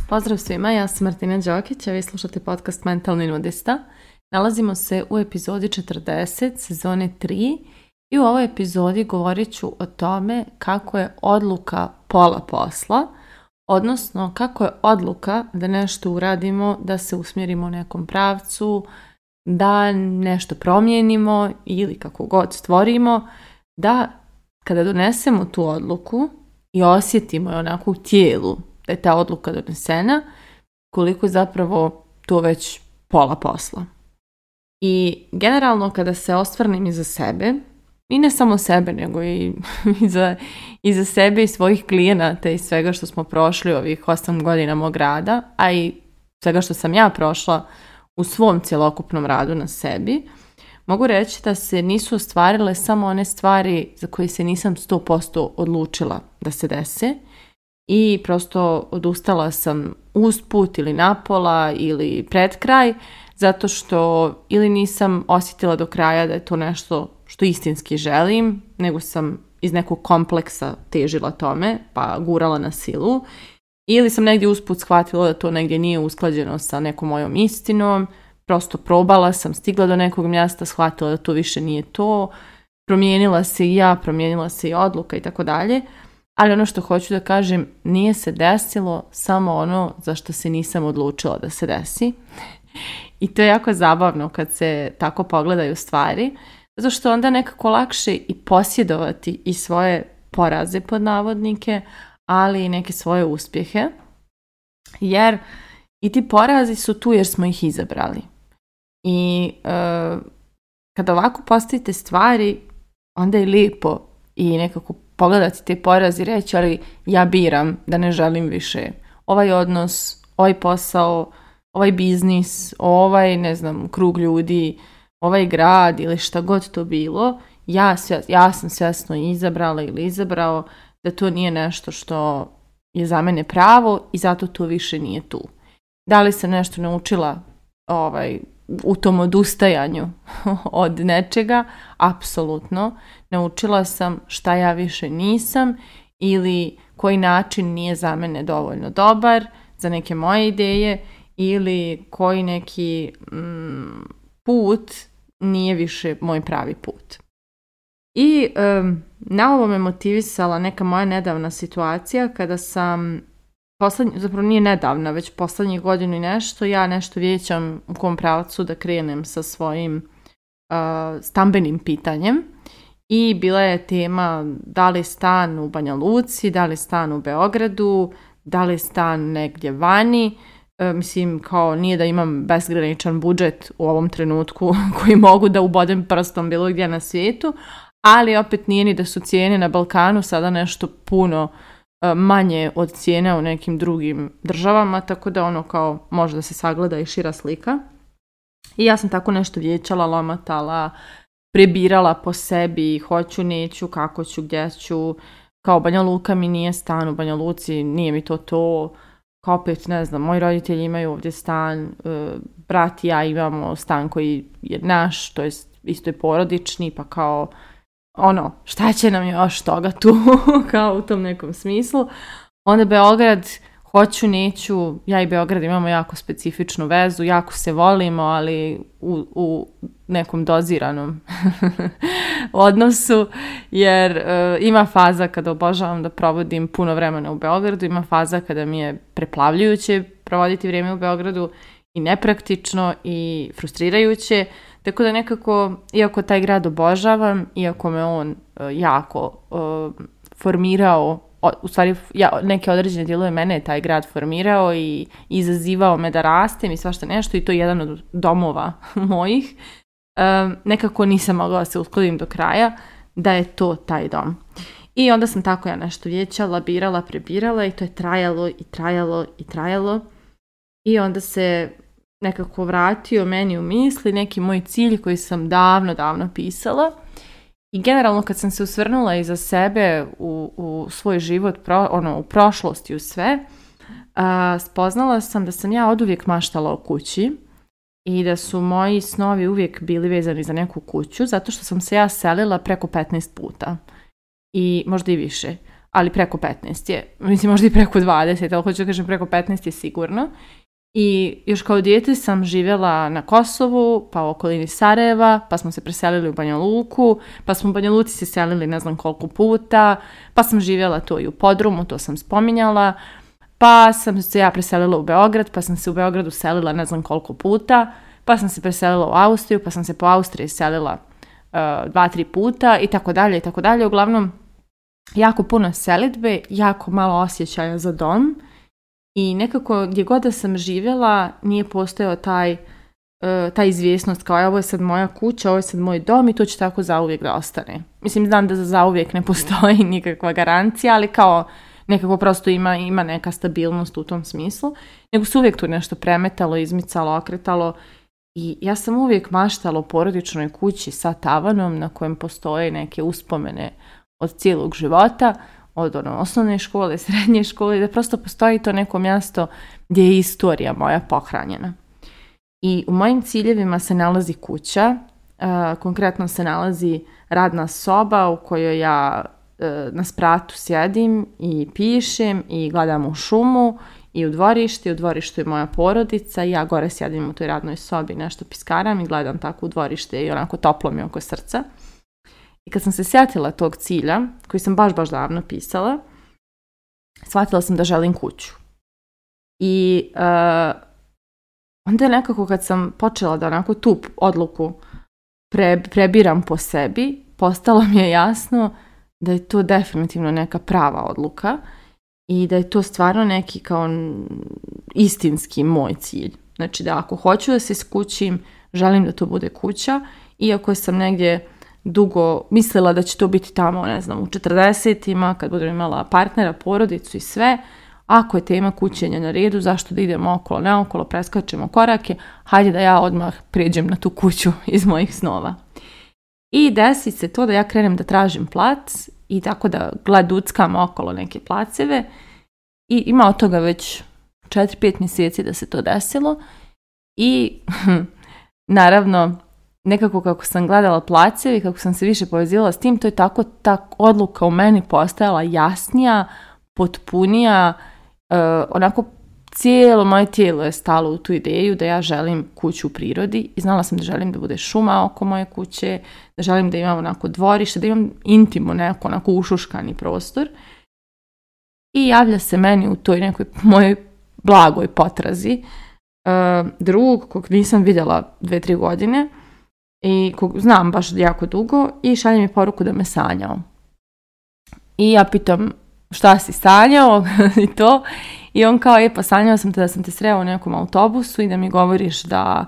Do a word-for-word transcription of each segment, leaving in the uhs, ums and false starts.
Pozdrav svima, ja sam Martina Đokić, a vi slušate podcast Mentalni nudista. Nalazimo se u epizodi četrdeset, sezone tri i u ovoj epizodi govorit ću o tome kako je odluka pola posla, odnosno kako je odluka da nešto uradimo, da se usmjerimo u nekom pravcu, da nešto promijenimo ili kako god stvorimo, da kada donesemo tu odluku i osjetimo je onako u tijelu da je ta odluka donesena, koliko je zapravo to već pola posla. I generalno kada se osvrnem iza sebe, i ne samo sebe, nego i iza, iza sebe i svojih klijenata i svega što smo prošli ovih osam godina mog rada, a i svega što sam ja prošla u svom cjelokupnom radu na sebi, mogu reći da se nisu ostvarile samo one stvari za koje se nisam sto posto odlučila da se dese i prosto odustala sam usput ili napola ili pred kraj, zato što ili nisam osjetila do kraja da je to nešto što istinski želim, nego sam iz nekog kompleksa težila tome, pa gurala na silu, ili sam negdje usput shvatila da to negdje nije usklađeno sa nekom mojom istinom, prosto probala sam, stigla do nekog mjesta, shvatila da to više nije to, promijenila se i ja, promijenila se i odluka i tako dalje, ali ono što hoću da kažem, nije se desilo samo ono za što se nisam odlučila da se desi. I to je jako zabavno kad se tako pogledaju stvari, zato što onda nekako lakše i posjedovati i svoje poraze pod navodnike, ali i neke svoje uspjehe, jer i ti porazi su tu jer smo ih izabrali. I e, kada ovako postavite stvari, onda je lijepo i nekako pogledati te porazi i reći, ali ja biram da ne želim više ovaj odnos, ovaj posao, ovaj biznis, ovaj, ne znam, krug ljudi, ovaj grad ili šta god to bilo, ja, svjes, ja sam svjesno izabrala ili izabrao da to nije nešto što je za mene pravo i zato to više nije tu. Da li sam nešto naučila ovaj, u tom odustajanju od nečega? Apsolutno. Naučila sam šta ja više nisam ili koji način nije za mene dovoljno dobar, za neke moje ideje, ili koji neki mm, put nije više moj pravi put. I um, na ovo me motivisala neka moja nedavna situacija kada sam, poslednj, zapravo nije nedavna, već poslednjih godinu i nešto, ja nešto vijećam u kom pravcu da krenem sa svojim uh, stambenim pitanjem. I bila je tema da li stan u Banja Luci, da li stan u Beogradu, da li stan negdje vani. E, mislim, kao nije da imam bezgraničan budžet u ovom trenutku koji mogu da ubodem prstom bilo gdje na svijetu, ali opet nije ni da su cijene na Balkanu sada nešto puno e, manje od cijene u nekim drugim državama, tako da ono kao može da se sagleda i šira slika. I ja sam tako nešto vijećala, lomatala, prebirala po sebi, hoću, neću, kako ću, gdje ću, kao Banja Luka mi nije stan u Banja Luci, nije mi to to, kao opet, ne znam, moji roditelji imaju ovdje stan, brat i ja imamo stan koji je naš, to je isto je porodični, pa kao, ono, šta će nam još toga tu, kao u tom nekom smislu. Onda Beograd, hoću, neću, ja i Beograd imamo jako specifičnu vezu, jako se volimo, ali u, u nekom doziranom odnosu, jer uh, ima faza kada obožavam da provodim puno vremena u Beogradu, ima faza kada mi je preplavljujuće provoditi vrijeme u Beogradu i nepraktično i frustrirajuće, tako da nekako, iako taj grad obožavam, iako me on uh, jako uh, formirao, u stvari ja, neke određene dijelove mene je taj grad formirao i izazivao me da rastem i svašta nešto i to je jedan od domova mojih. Um, nekako nisam mogla da se uskladim do kraja da je to taj dom. I onda sam tako ja nešto vijećala, birala, prebirala i to je trajalo i trajalo i trajalo. I onda se nekako vratio meni u misli neki moj cilj koji sam davno, davno pisala. I generalno kad sam se osvrnula iza sebe u, u svoj život, pro, ono, u prošlosti, u sve, a, spoznala sam da sam ja oduvijek maštala o kući i da su moji snovi uvijek bili vezani za neku kuću, zato što sam se ja selila preko petnaest puta. I možda i više, ali preko petnaest je. Mislim, možda i preko dvadeset, ali hoću da kažem preko petnaest je sigurno. I još kao dijete sam živjela na Kosovu, pa u okolini Sarajeva, pa smo se preselili u Banja Luku, pa smo u Banja Luci se selili ne znam koliko puta, pa sam živjela to i u podrumu, to sam spominjala, pa sam se ja preselila u Beograd, pa sam se u Beogradu selila ne znam koliko puta, pa sam se preselila u Austriju, pa sam se po Austriji selila uh, dva, tri puta i tako dalje i tako dalje. Uglavnom, jako puno selidbe, jako malo osjećaja za dom. I nekako gdje god da sam živjela nije postojao taj, uh, ta izvjesnost kao ovo je sad moja kuća, ovo je sad moj dom i to će tako zauvijek da ostane. Mislim, znam da za zauvijek ne postoji nikakva garancija, ali kao nekako prosto ima, ima neka stabilnost u tom smislu. Nego se uvijek tu nešto premetalo, izmicalo, okretalo i ja sam uvijek maštala o porodičnoj kući sa tavanom na kojem postoje neke uspomene od cijelog života, od ono, osnovne škole, srednje škole, da prosto postoji to neko mjesto gdje je istorija moja pohranjena. I u mojim ciljevima se nalazi kuća, uh, konkretno se nalazi radna soba u kojoj ja uh, na spratu sjedim i pišem i gledam u šumu i u dvorište, u dvorištu je moja porodica i ja gore sjedim u toj radnoj sobi, nešto piskaram i gledam tako u dvorište i onako toplo mi oko srca. I kad sam se sjetila tog cilja, koji sam baš, baš davno pisala, shvatila sam da želim kuću. I uh, onda je nekako kad sam počela da onako tu odluku pre, prebiram po sebi, postalo mi je jasno da je to definitivno neka prava odluka i da je to stvarno neki kao istinski moj cilj. Znači da ako hoću da se skućim, želim da to bude kuća, iako sam negdje dugo mislila da će to biti tamo, ne znam, u četrdesetima, kad budem imala partnera, porodicu i sve. Ako je tema kućenja na redu, zašto da idemo okolo, neokolo, preskačemo korake, hajde da ja odmah prijeđem na tu kuću iz mojih snova. I desi se to da ja krenem da tražim plac i tako da gladuckam okolo neke placeve i ima od toga već četiri pet mjeseci da se to desilo i naravno nekako kako sam gledala placeve i kako sam se više povezila s tim, to je tako ta odluka u meni postajala jasnija, potpunija, uh, onako cijelo moje tijelo je stalo u tu ideju da ja želim kuću u prirodi i znala sam da želim da bude šuma oko moje kuće, da želim da imam onako dvorište, da imam intimo neko onako ušuškani prostor. I javlja se meni u toj nekoj mojoj blagoj potrazi uh, drug kog nisam vidjela dve, tri godine i kog znam baš jako dugo i šalje mi poruku da me sanjao. I ja pitam šta si sanjao i to. I on kao, je pa sanjao sam te da sam te sreo u nekom autobusu i da mi govoriš da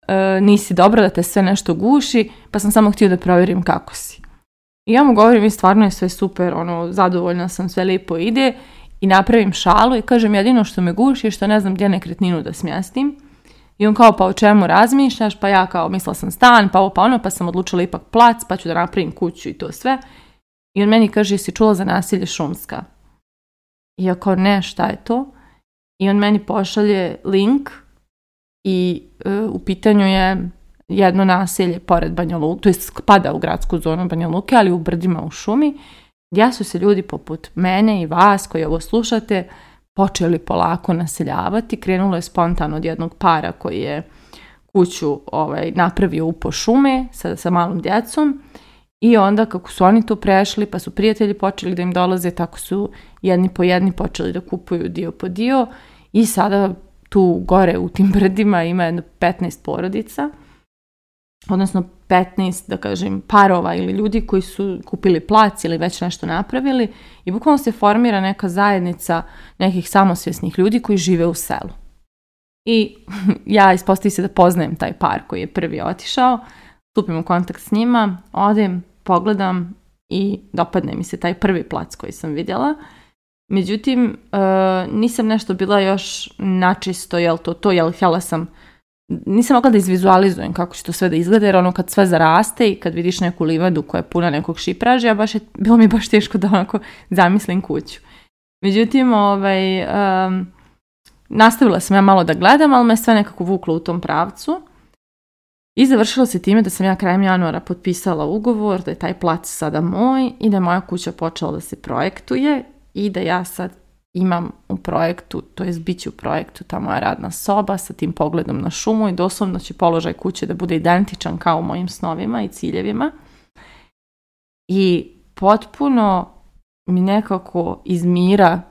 e, nisi dobro, da te sve nešto guši, pa sam samo htio da provjerim kako si. I ja mu govorim, i stvarno je sve super, ono, zadovoljna sam, sve lijepo ide i napravim šalu i kažem, jedino što me guši je što ne znam gdje nekretninu da smjestim. I on kao, pa o čemu razmišljaš? Pa ja kao, mislila sam stan, pa ovo pa ono, pa sam odlučila ipak plac, pa ću da napravim kuću i to sve. I on meni kaže, jesi čula za nasilje Šumska? I ja kao, ne, šta je to? I on meni pošalje link i e, u pitanju je jedno naselje pored Banja Luke, to je spada u gradsku zonu Banja Luke, ali u brdima u šumi, gdje su se ljudi poput mene i vas koji ovo slušate počeli polako naseljavati. Krenulo je spontano od jednog para koji je kuću ovaj, napravio u po šume sa, sa malom djecom. I onda kako su oni tu prešli, pa su prijatelji počeli da im dolaze, tako su jedni po jedni počeli da kupuju dio po dio i sada tu gore u tim brdima ima jedno petnaest porodica, odnosno petnaest, da kažem, parova ili ljudi koji su kupili plac ili već nešto napravili i bukvalno se formira neka zajednica nekih samosvjesnih ljudi koji žive u selu. I ja ispostavi se da poznajem taj par koji je prvi otišao, stupim u kontakt s njima, odem, pogledam i dopadne mi se taj prvi plac koji sam vidjela. Međutim, e, nisam nešto bila još načisto, jel to to, jel htjela sam, nisam mogla da izvizualizujem kako će to sve da izgleda, jer ono kad sve zaraste i kad vidiš neku livadu koja je puna nekog šipraža, baš je, bilo mi baš teško da onako zamislim kuću. Međutim, ovaj, um, nastavila sam ja malo da gledam, ali me sve nekako vuklo u tom pravcu. I završilo se time da sam ja krajem januara potpisala ugovor, da je taj plac sada moj i da je moja kuća počela da se projektuje i da ja sad imam u projektu, to jest bit će u projektu ta moja radna soba sa tim pogledom na šumu i doslovno će položaj kuće da bude identičan kao u mojim snovima i ciljevima. I potpuno mi nekako iz mira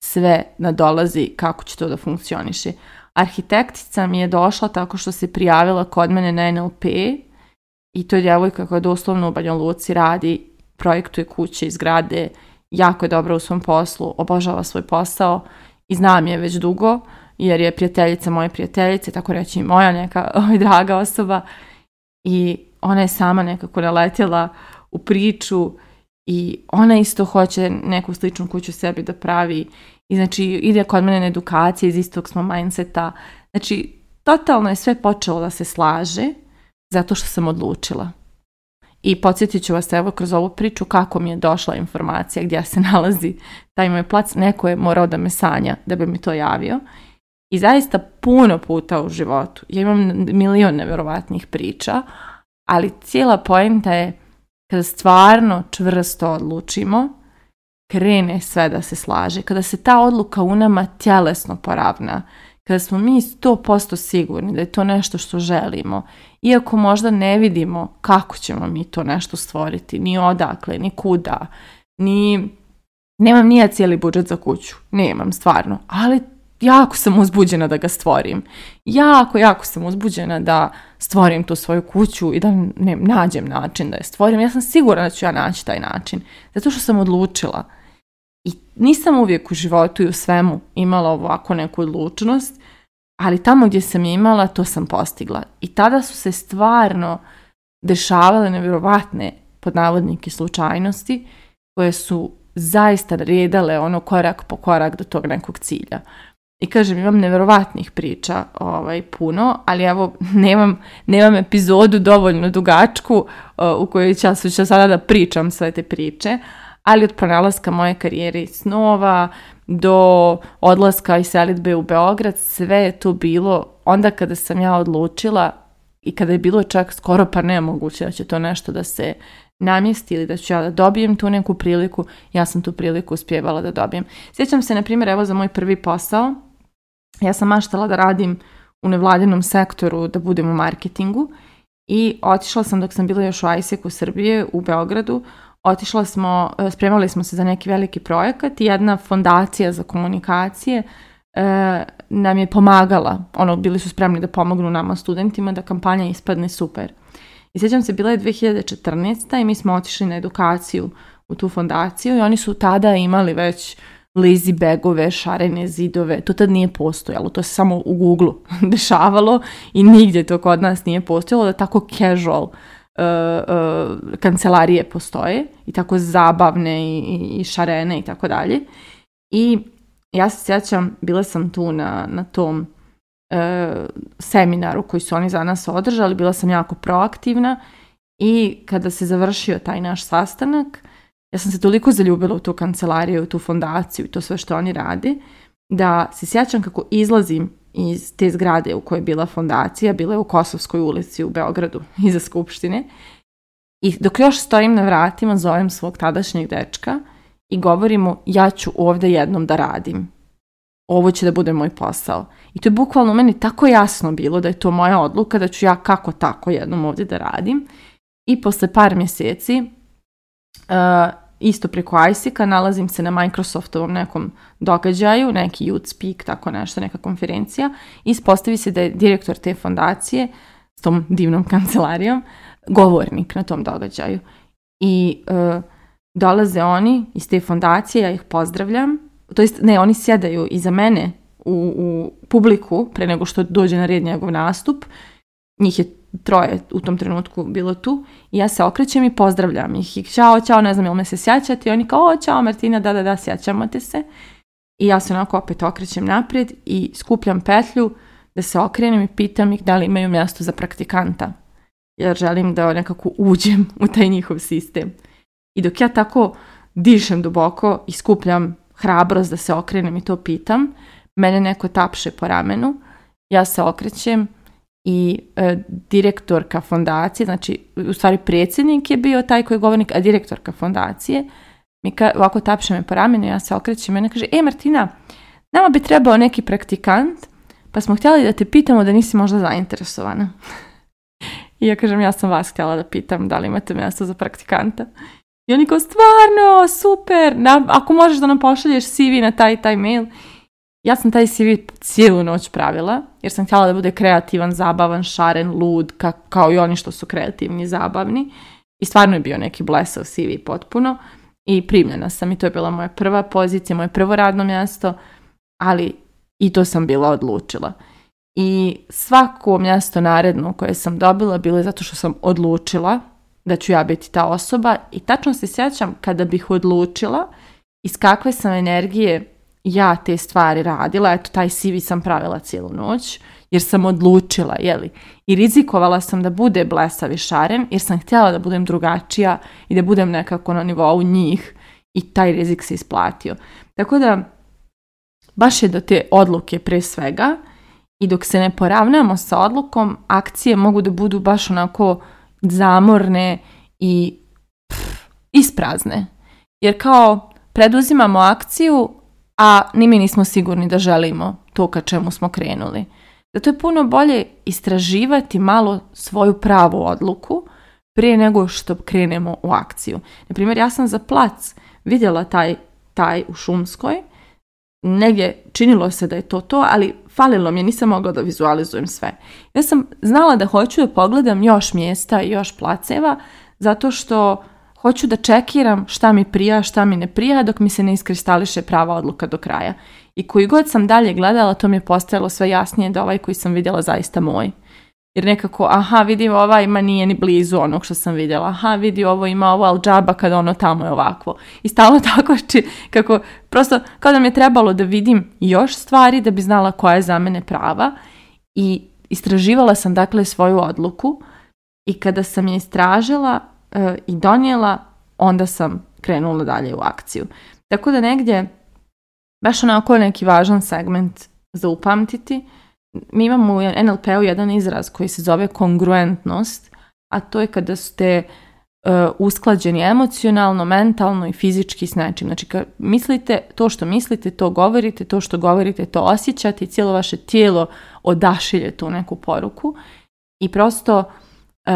sve nadolazi kako će to da funkcioniše. Arhitektica mi je došla tako što se prijavila kod mene na en el pe i to je djevojka koja doslovno u Banja Luci radi, projektuje kuće i zgrade, jako je dobra u svom poslu, obožava svoj posao i znam je već dugo jer je prijateljica moje prijateljice, tako reći i moja neka ovaj, draga osoba i ona je sama nekako naletjela u priču i ona isto hoće neku sličnu kuću sebi da pravi i znači ide kod mene na edukacije, iz istog smo mindseta. Znači, totalno je sve počelo da se slaže zato što sam odlučila. I podsjetit ću vas evo kroz ovu priču kako mi je došla informacija gdje se nalazi taj moj plac. Neko je morao da me sanja da bi mi to javio. I zaista puno puta u životu. Ja imam milion nevjerovatnih priča, ali cijela poenta je kada stvarno čvrsto odlučimo, krene sve da se slaže. Kada se ta odluka u nama tjelesno poravna, kada smo mi sto posto sigurni da je to nešto što želimo, iako možda ne vidimo kako ćemo mi to nešto stvoriti, ni odakle, ni kuda, ni... Nemam ni ja cijeli budžet za kuću, nemam stvarno, ali jako sam uzbuđena da ga stvorim. Jako, jako sam uzbuđena da stvorim tu svoju kuću i da ne, nađem način da je stvorim. Ja sam sigurna da ću ja naći taj način, zato što sam odlučila. I nisam uvijek u životu i u svemu imala ovako neku odlučnost, ali tamo gdje sam je imala, to sam postigla. I tada su se stvarno dešavale nevjerovatne, pod navodnike, slučajnosti, koje su zaista redale ono korak po korak do tog nekog cilja. I kažem, imam nevjerovatnih priča ovaj, puno, ali evo, nemam, nemam epizodu dovoljno dugačku uh, u kojoj ću, ću sada da pričam sve te priče, ali od pronalaska moje karijere i snova do odlaska i selidbe u Beograd, sve je to bilo onda kada sam ja odlučila i kada je bilo čak skoro pa nemoguće da će to nešto da se namjesti ili da ću ja da dobijem tu neku priliku, ja sam tu priliku uspjevala da dobijem. Sjećam se, na primjer, evo za moj prvi posao, ja sam maštala da radim u nevladinom sektoru, da budem u marketingu i otišla sam dok sam bila još u ajseku Srbije u Beogradu, otišla smo, spremali smo se za neki veliki projekat i jedna fondacija za komunikacije e, nam je pomagala, ono, bili su spremni da pomognu nama studentima da kampanja ispadne super. I sjećam se, bila je dvije hiljade četrnaeste. i mi smo otišli na edukaciju u tu fondaciju i oni su tada imali već lazy bagove, šarene zidove, to tad nije postojalo, to se samo u Google dešavalo i nigdje to kod nas nije postojalo, da tako casual uh, uh, kancelarije postoje i tako zabavne i, i, i šarene i tako dalje. I ja se sjećam, bila sam tu na, na tom seminaru koji su oni za nas održali, bila sam jako proaktivna i kada se završio taj naš sastanak, ja sam se toliko zaljubila u tu kancelariju, u tu fondaciju i to sve što oni rade, da se sjećam kako izlazim iz te zgrade u kojoj je bila fondacija, bila je u Kosovskoj ulici u Beogradu, iza Skupštine, i dok još stojim na vratima, zovem svog tadašnjeg dečka i govorim mu, ja ću ovdje jednom da radim. Ovo će da bude moj posao. I to je bukvalno meni tako jasno bilo da je to moja odluka, da ću ja kako tako jednom ovdje da radim. I posle par mjeseci, uh, isto preko ajseka, nalazim se na Microsoftovom nekom događaju, neki Youth Speak, tako nešto, neka konferencija. I ispostavi se da je direktor te fondacije s tom divnom kancelarijom govornik na tom događaju. I uh, dolaze oni iz te fondacije, ja ih pozdravljam. To jest, ne, oni sjedaju iza mene u, u publiku pre nego što dođe na red njegov nastup. Njih je troje u tom trenutku bilo tu i ja se okrećem i pozdravljam ih. I čao, čao, ne znam jel me se sjećate. I oni kao, o, čao Martina, da, da, da, sjećamo te se. I ja se onako opet okrećem naprijed i skupljam petlju da se okrenem i pitam ih da li imaju mjesto za praktikanta. Jer želim da nekako uđem u taj njihov sistem. I dok ja tako dišem duboko i skupljam hrabrost da se okrenem i to pitam, mene neko tapše po ramenu, ja se okrećem i e, direktorka fondacije, znači u stvari predsjednik je bio taj koji je govornik, a direktorka fondacije mi ka, ovako tapše me po ramenu, ja se okrećem i ona kaže, e Martina, nama bi trebao neki praktikant, pa smo htjeli da te pitamo da nisi možda zainteresovana. I ja kažem, ja sam vas htjela da pitam da li imate mjesto za praktikanta. I oni kao, stvarno, super, na, ako možeš da nam pošalješ C V na taj taj mail. Ja sam taj C V cijelu noć pravila, jer sam htjela da bude kreativan, zabavan, šaren, lud, ka, kao i oni što su kreativni i zabavni. I stvarno je bio neki blesav C V potpuno. I primljena sam i to je bila moja prva pozicija, moje prvo radno mjesto, ali i to sam bila odlučila. I svako mjesto naredno koje sam dobila bilo je zato što sam odlučila da ću ja biti ta osoba i tačno se sjećam kada bih odlučila iz kakve sam energije ja te stvari radila, eto taj C V sam pravila cijelu noć jer sam odlučila, jeli, i rizikovala sam da bude blesav i šaren jer sam htjela da budem drugačija i da budem nekako na nivou njih i taj rizik se isplatio. Tako da baš je do te odluke pre svega i dok se ne poravnamo sa odlukom, akcije mogu da budu baš onako zamorne i pff, isprazne. Jer kao preduzimamo akciju, a ni mi nismo sigurni da želimo to ka čemu smo krenuli. Zato je puno bolje istraživati malo svoju pravu odluku prije nego što krenemo u akciju. Naprimjer, ja sam za plac vidjela taj, taj u Šumskoj, negdje činilo se da je to to, ali falilo mi je, nisam mogla da vizualizujem sve. Ja sam znala da hoću da pogledam još mjesta i još placeva, zato što hoću da čekiram šta mi prija, šta mi ne prija, dok mi se ne iskristališe prava odluka do kraja. I koji god sam dalje gledala, to mi je postajalo sve jasnije da ovaj koji sam vidjela zaista moj. Jer nekako, aha, vidi ova ima nije ni blizu onog što sam vidjela. Aha, vidi ovo ima ovo, ali džaba kad ono tamo je ovakvo. I stalno tako či, kako, prosto kao da mi je trebalo da vidim još stvari da bi znala koja je za mene prava. I istraživala sam dakle svoju odluku i kada sam je istražila e, i donijela, onda sam krenula dalje u akciju. Tako da negdje, baš onako neki važan segment za upamtiti, mi imamo u N L P-u jedan izraz koji se zove kongruentnost, a to je kada ste uh, usklađeni emocionalno, mentalno i fizički s nečim. Znači, kad mislite, to što mislite, to govorite, to što govorite, to osjećate i cijelo vaše tijelo odašilje tu neku poruku. I prosto uh,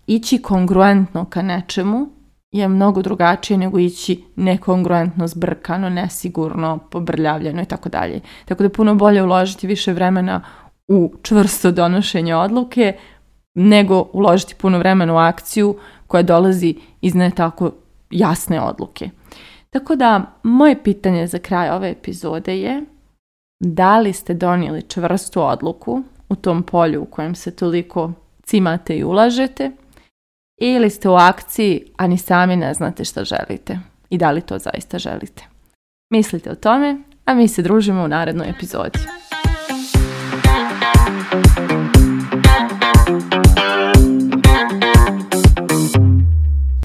ići kongruentno ka nečemu je mnogo drugačije nego ići nekongruentno, zbrkano, nesigurno, pobrljavljeno i tako dalje. Tako da je puno bolje uložiti više vremena u čvrsto donošenje odluke nego uložiti puno vremena u akciju koja dolazi iz ne tako jasne odluke. Tako da moje pitanje za kraj ove epizode je da li ste donijeli čvrstu odluku u tom polju u kojem se toliko cimate i ulažete ili ste u akciji, a ni sami ne znate šta želite i da li to zaista želite. Mislite o tome, a mi se družimo u narednoj epizodi.